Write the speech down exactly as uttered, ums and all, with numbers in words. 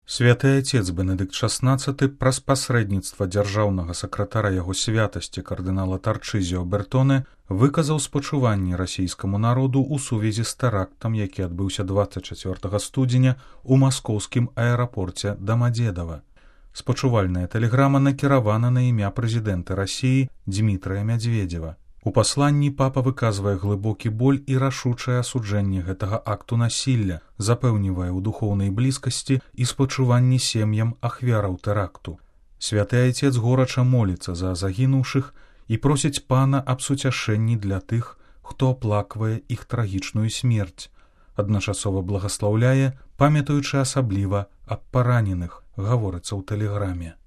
Святы Айцец Бенедыкт шаснаццаты праз пасрэдніцтва дзяржаўнага сакратара яго святасці кардынала Тарчызіо Бертоне выказаў спачуванні расійскаму народу ў сувязі з тэрактам, які адбыўся дваццаць чацвёртага студзеня ў маскоўскім аэрапорце Дамадзедава. Спачувальная тэлеграма накіравана на імя прэзідэнта Расіі Дзмітрыя Мядзведзева. У пасланні папа выказвае глыбокі боль і рашучае асуджэнне гэтага акту насілля, запэўнівае ў духоўнай блізкасці і спачуванні сем'ям ахвяраў тэракту. Святы Айцец горача моліцца за загінуўшых і просіць пана аб суцяшэнні для тых, хто аплаквае іх трагічную смерць. Адначасова благаслаўляе, памятаючы асабліва аб параненых, гаворыцца ў тэлеграме.